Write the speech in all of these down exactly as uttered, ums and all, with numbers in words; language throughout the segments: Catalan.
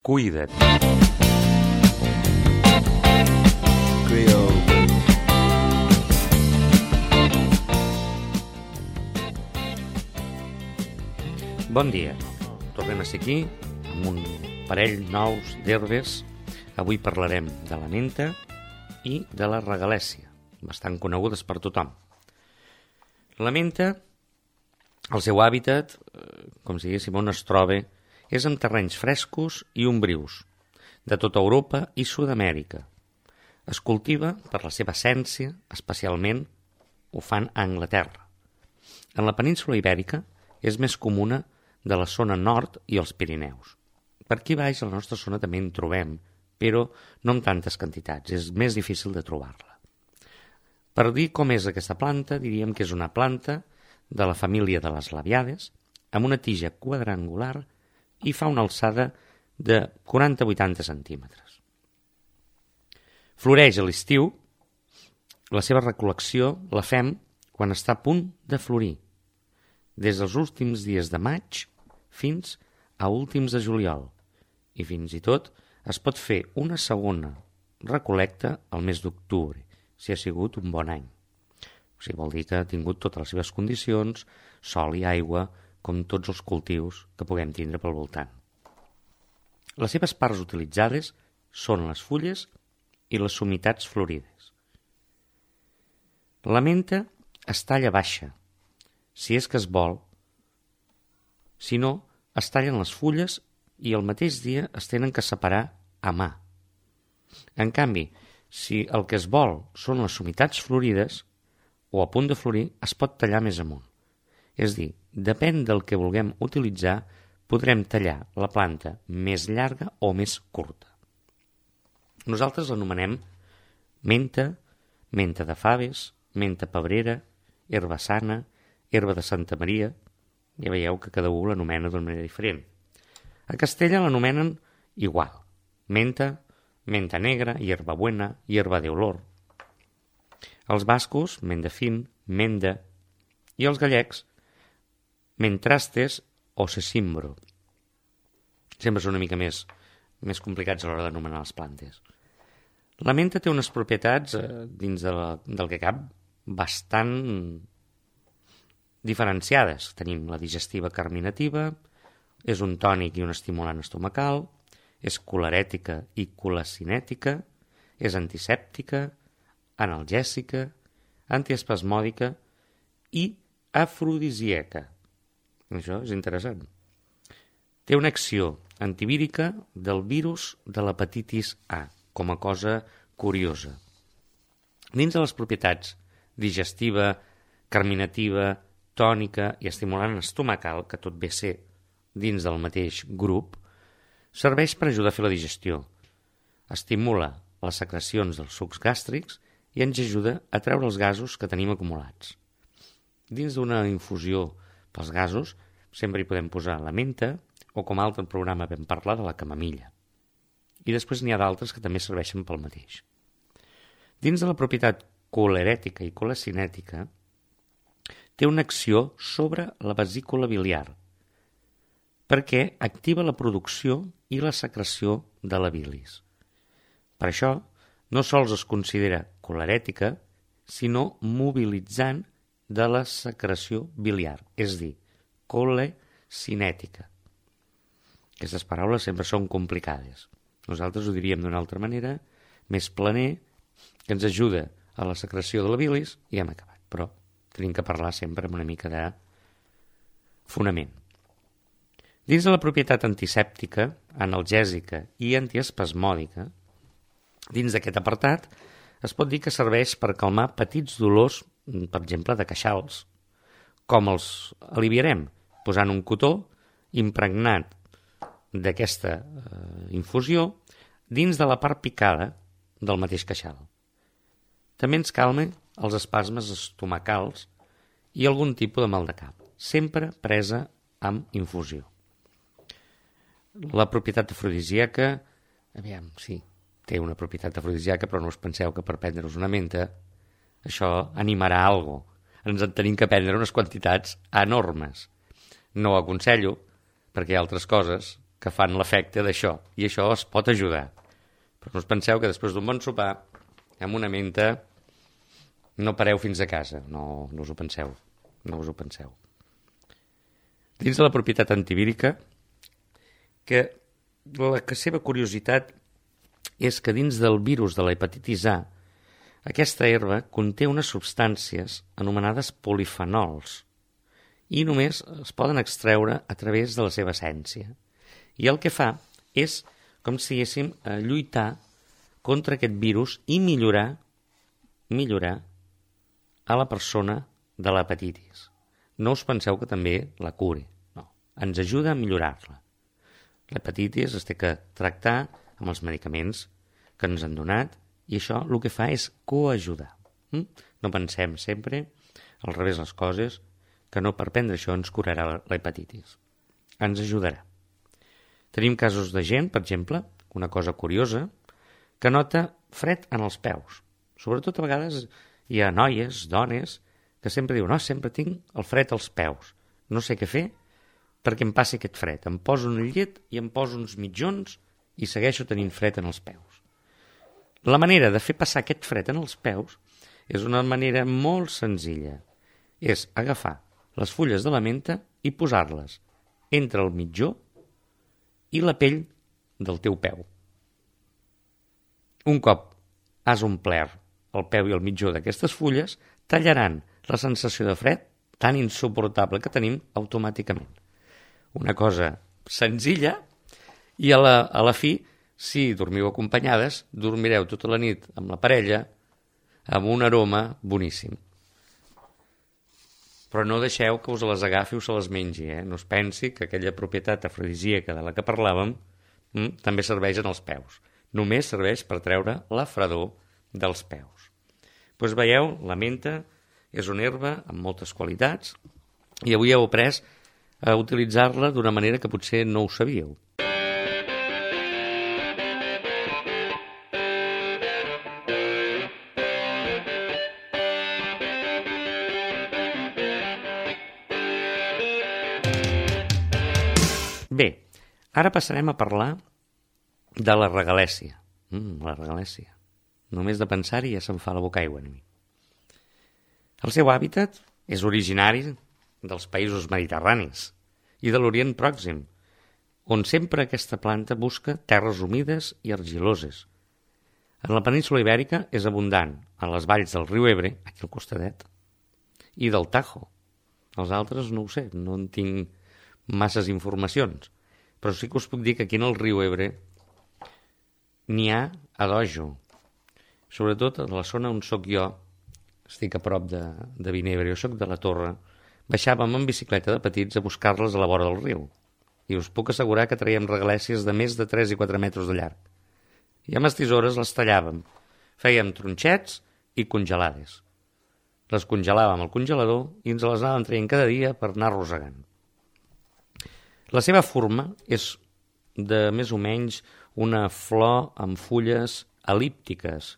Cuida't. Bon dia. Tornem a ser aquí amb un parell nous d'herbes. Avui parlarem de la menta i de la regalèssia, bastant conegudes per tothom. La menta, el seu hàbitat, com si diguéssim on es troba, és en terrenys frescos i ombrius, de tota Europa i Sud-amèrica. Es cultiva per la seva essència, especialment ho fan a Anglaterra. En la península Ibèrica és més comuna de la zona nord i els Pirineus. Per aquí baix, a la nostra zona també en trobem, però no en tantes quantitats, és més difícil de trobar-la. Per dir com és aquesta planta, diríem que és una planta de la família de les labiades, amb una tija quadrangular i fa una alçada de quaranta a vuitanta centímetres. Floreix a l'estiu. La seva recol·lecció la fem quan està a punt de florir, des dels últims dies de maig fins a últims de juliol, i fins i tot es pot fer una segona recol·lecta al mes d'octubre, si ha sigut un bon any. O sigui, vol dir que ha tingut totes les seves condicions, sol i aigua, com tots els cultius que puguem tindre pel voltant. Les seves parts utilitzades són les fulles i les somitats florides. La menta es talla baixa, si és que es vol. Si no, es tallen les fulles i el mateix dia es tenen que separar a mà. En canvi, si el que es vol són les somitats florides o a punt de florir, es pot tallar més amunt. És dir, depèn del que vulguem utilitzar, podrem tallar la planta més llarga o més curta. Nosaltres l'anomenem menta, menta de faves, menta pebrera, herba sana, herba de Santa Maria. Ja veieu que cada un l'anomena d'una manera diferent. A Castella l'anomenen igual. Menta, menta negra, hierbabuena, hierba de olor. Els bascos, menda fin, menda, i els gallecs, mentrastes o sesimbro. Sempre són una mica més, més complicats a l'hora d'anomenar les plantes. La menta té unes propietats, eh, dins de la, del que cap, bastant diferenciades. Tenim la digestiva carminativa, és un tònic i un estimulant estomacal, és colerètica i colacinètica, és antisèptica, analgèsica, antiespasmòdica i afrodisíaca. Això és interessant. Té una acció antivírica del virus de l'hepatitis A, com a cosa curiosa. Dins de les propietats digestiva, carminativa, tònica i estimulant estomacal, que tot ve a ser dins del mateix grup, serveix per ajudar a fer la digestió. Estimula les secrecions dels sucs gàstrics i ens ajuda a treure els gasos que tenim acumulats. Dins d'una infusió pels gasos sempre hi podem posar la menta o, com a altre programa vam parlar, de la camamilla. I després n'hi ha d'altres que també serveixen pel mateix. Dins de la propietat colerètica i colacinètica té una acció sobre la vesícula biliar perquè activa la producció i la secreció de la bilis. Per això, no sols es considera colerètica, sinó mobilitzant de la secreció biliar, és a dir, colacinètica. Aquestes paraules sempre són complicades. Nosaltres ho diríem d'una altra manera, més planer, que ens ajuda a la secreció de la bilis i hem acabat. Però tenim que parlar sempre amb una mica de fonament. Dins de la propietat antisèptica, analgèsica i antiespasmòdica, dins d'aquest apartat, es pot dir que serveix per calmar petits dolors, per exemple, de queixals. Com els aliviarem? Posant un cotó impregnat d'aquesta eh, infusió dins de la part picada del mateix queixal. També ens calma els espasmes estomacals i algun tipus de mal de cap, sempre presa amb infusió. La propietat afrodisíaca, aviam, sí, té una propietat afrodisíaca, però no us penseu que per prendre-us una menta això animarà alguna cosa. Ens en tenim que prendre unes quantitats enormes. No ho aconsello, perquè hi ha altres coses que fan l'efecte d'això, i això es pot ajudar. Però no us penseu que després d'un bon sopar, amb una menta, no pareu fins a casa. No, no us ho penseu. No us ho penseu. Dins de la propietat antivírica, que la seva curiositat és que dins del virus de la hepatitis A, aquesta herba conté unes substàncies anomenades polifenols i només es poden extreure a través de la seva essència. I el que fa és, com si diguéssim, lluitar contra aquest virus i millorar, millorar a la persona de l'hepatitis. No us penseu que també la curi, no. Ens ajuda a millorar-la. L'hepatitis es té que tractar amb els medicaments que ens han donat i això el que fa és coajudar. Mm? No pensem sempre al revés les coses, que no per prendre això ens curarà la hepatitis. Ens ajudarà. Tenim casos de gent, per exemple, una cosa curiosa, que nota fred en els peus. Sobretot a vegades hi ha noies, dones, que sempre diuen, no, sempre tinc el fred als peus. No sé què fer perquè em passi aquest fred. Em poso un llet i em poso uns mitjons i segueixo tenint fred en els peus. La manera de fer passar aquest fred en els peus és una manera molt senzilla. És agafar les fulles de la menta i posar-les entre el mitjó i la pell del teu peu. Un cop has omplert el peu i el mitjó d'aquestes fulles, tallaran la sensació de fred tan insuportable que tenim automàticament. Una cosa senzilla i a la, a la fi, si dormiu acompanyades, dormireu tota la nit amb la parella amb un aroma boníssim. Però no deixeu que us les agafi o se les mengi, eh? No es pensi que aquella propietat afrodisíaca de la que parlàvem hm, també serveix en els peus. Només serveix per treure la fredor dels peus. Doncs veieu, la menta és una herba amb moltes qualitats i avui heu après a utilitzar-la d'una manera que potser no ho sabíeu. Bé, ara passarem a parlar de la regalèssia. Mm, la regalèssia. Només de pensar-hi ja se'm fa la boca aigua a mi. El seu hàbitat és originari dels països mediterranis i de l'Orient Pròxim, on sempre aquesta planta busca terres humides i argiloses. En la península ibèrica és abundant a les valls del riu Ebre, aquí al costadet, i del Tajo. Els altres no ho sé, no en tinc masses informacions, però sí que us puc dir que aquí en el riu Ebre n'hi ha a dojo, sobretot a la zona on sóc jo, estic a prop de, de Vinebre, jo sóc de la Torre, baixàvem en bicicleta de petits a buscar-les a la vora del riu, i us puc assegurar que traiem regalèscies de més de tres i quatre metres de llarg. I amb les tisores les tallàvem, fèiem tronxets i congelades. Les congelàvem al congelador i ens les anàvem traient cada dia per anar arrossegant. La seva forma és de més o menys una flor amb fulles el·líptiques.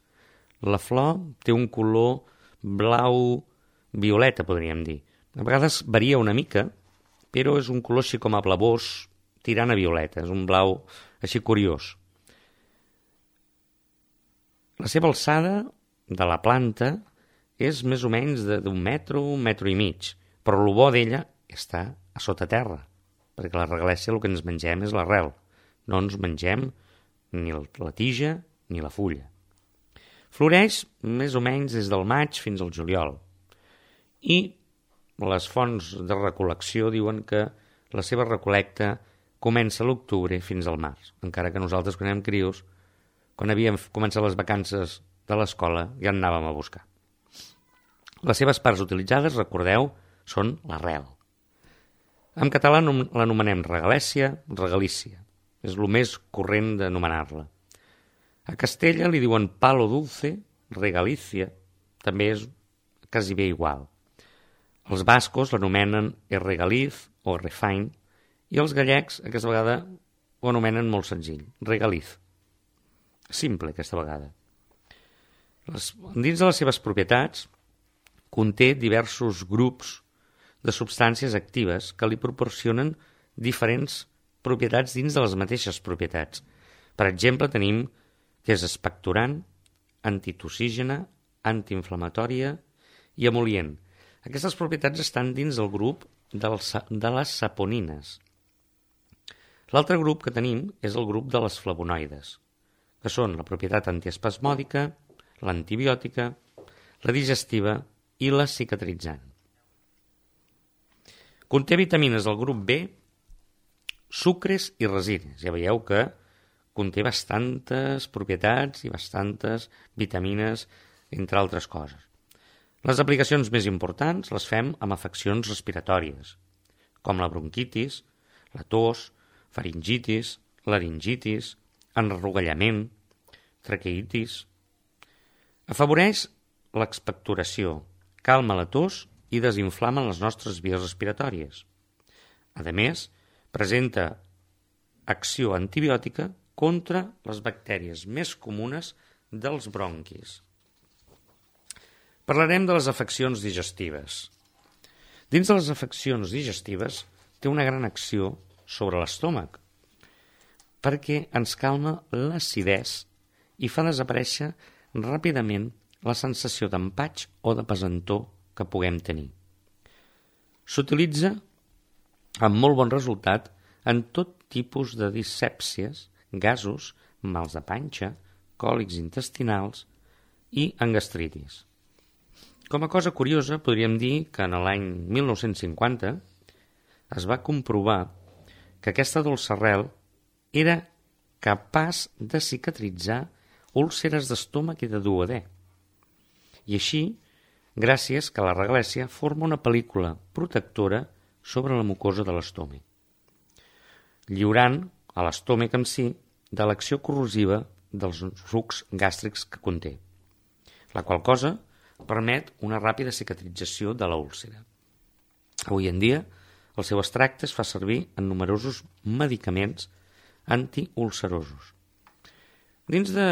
La flor té un color blau-violeta, podríem dir. A vegades varia una mica, però és un color així com a blavós, tirant a violeta. És un blau així curiós. La seva alçada de la planta és més o menys d'un metro, un metro i mig, però el bo d'ella està a sota terra, perquè la regalèssia el que ens mengem és l'arrel. No ens mengem ni la tija ni la fulla. Floreix més o menys des del maig fins al juliol. I les fonts de recol·lecció diuen que la seva recol·lecta comença a l'octubre fins al març, encara que nosaltres quan érem crios, quan havíem començat les vacances de l'escola, ja en anàvem a buscar. Les seves parts utilitzades, recordeu, són l'arrel. En català l'anomenem regalèssia, regalícia. És el més corrent d'anomenar-la. A Castella li diuen palo dulce, regalícia, també és quasi bé igual. Els bascos l'anomenen regaliz o refain i els gallecs aquesta vegada ho anomenen molt senzill, regaliz. Simple aquesta vegada. Les, dins de les seves propietats conté diversos grups de substàncies actives que li proporcionen diferents propietats dins de les mateixes propietats. Per exemple, tenim que és expectorant, antitussígena, antiinflamatòria i emol·lient. Aquestes propietats estan dins del grup dels, de les saponines. L'altre grup que tenim és el grup de les flavonoides, que són la propietat antiespasmòdica, l'antibiòtica, la digestiva i la cicatritzant. Conté vitamines del grup B, sucres i resines. Ja veieu que conté bastantes propietats i bastantes vitamines, entre altres coses. Les aplicacions més importants les fem amb afeccions respiratòries, com la bronquitis, la tos, faringitis, laringitis, enrogallament, traqueitis. Afavoreix l'expectoració, calma la tos i desinflama les nostres vies respiratòries. A més, presenta acció antibiòtica contra les bactèries més comunes dels bronquis. Parlarem de les afeccions digestives. Dins de les afeccions digestives té una gran acció sobre l'estómac, perquè ens calma l'acidesa i fa desaparèixer ràpidament la sensació d'empatx o de pesantor que puguem tenir. S'utilitza amb molt bon resultat en tot tipus de dispèpsies, gasos, mals de panxa, còlics intestinals i en gastritis. Com a cosa curiosa, podríem dir que en l'any mil nou-cents cinquanta es va comprovar que aquesta dolça arrel era capaç de cicatritzar úlceres d'estómac i de duodè. I així, gràcies que la reglèssia forma una pel·lícula protectora sobre la mucosa de l'estómac, lliurant a l'estómac en si de l'acció corrosiva dels sucs gàstrics que conté, la qual cosa permet una ràpida cicatrització de l'úlcera. Avui en dia, el seu extracte es fa servir en numerosos medicaments antiulcerosos. Dins de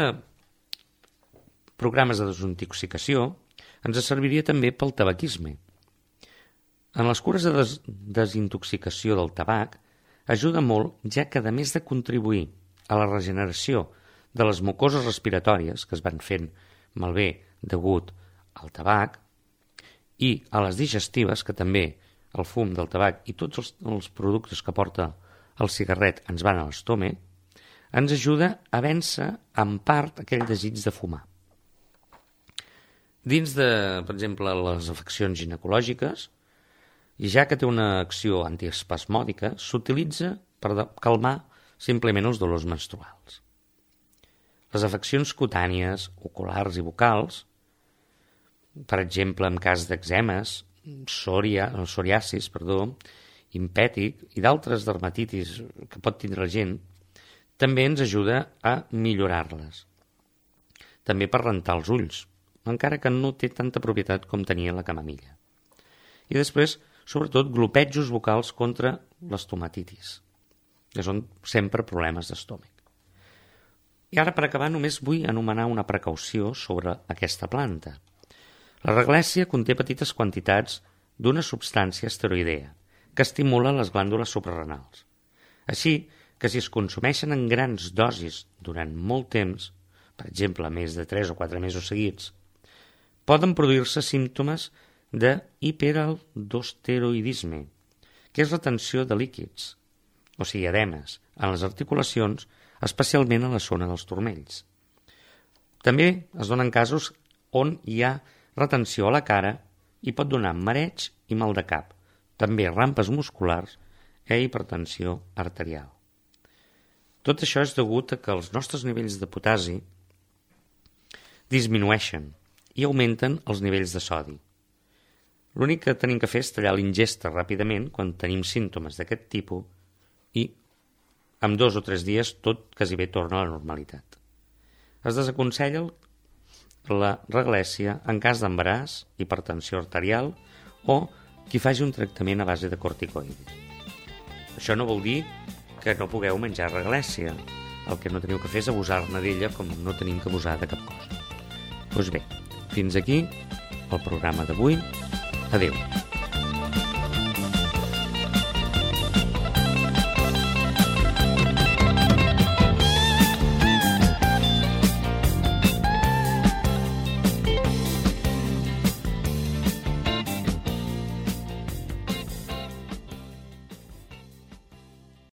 programes de desintoxicació, ens serviria també pel tabaquisme. En les cures de des desintoxicació del tabac ajuda molt, ja que a més de contribuir a la regeneració de les mucoses respiratòries que es van fent malbé degut al tabac i a les digestives, que també el fum del tabac i tots els, els productes que porta el cigarret ens van a l'estómac, ens ajuda a vèncer en part aquell desig de fumar. Dins de, per exemple, les afeccions ginecològiques, i ja que té una acció antiespasmòdica, s'utilitza per calmar simplement els dolors menstruals. Les afeccions cutànies, oculars i bucals, per exemple, en cas d'èczemes, psoria, psoriasis, perdó, impètic i d'altres dermatitis que pot tindre la gent, també ens ajuda a millorar-les. També per rentar els ulls, encara que no té tanta propietat com tenia la camamilla. I després, sobretot, glopetjos vocals contra l'estomatitis, que són sempre problemes d'estómac. I ara, per acabar, només vull anomenar una precaució sobre aquesta planta. La reglèssia conté petites quantitats d'una substància esteroidea que estimula les glàndules suprarrenals. Així que si es consumeixen en grans dosis durant molt temps, per exemple més de tres o quatre mesos seguits, poden produir-se símptomes de hiperaldosteroidisme, que és retenció de líquids, o sigui, edemes, en les articulacions, especialment a la zona dels turmells. També es donen casos on hi ha retenció a la cara i pot donar mareig i mal de cap, també rampes musculars i hipertensió arterial. Tot això és degut a que els nostres nivells de potassi disminueixen i augmenten els nivells de sodi. L'únic que tenim que fer és tallar l'ingesta ràpidament quan tenim símptomes d'aquest tipus i en dos o tres dies tot quasi bé torna a la normalitat. Es desaconsella la reglèssia en cas d'embaràs, hipertensió arterial o qui faci un tractament a base de corticoides. Això no vol dir que no pugueu menjar reglèssia. El que no teniu que fer és abusar-ne d'ella com no tenim que abusar de cap cosa. Doncs bé, fins aquí el programa d'avui. Adéu.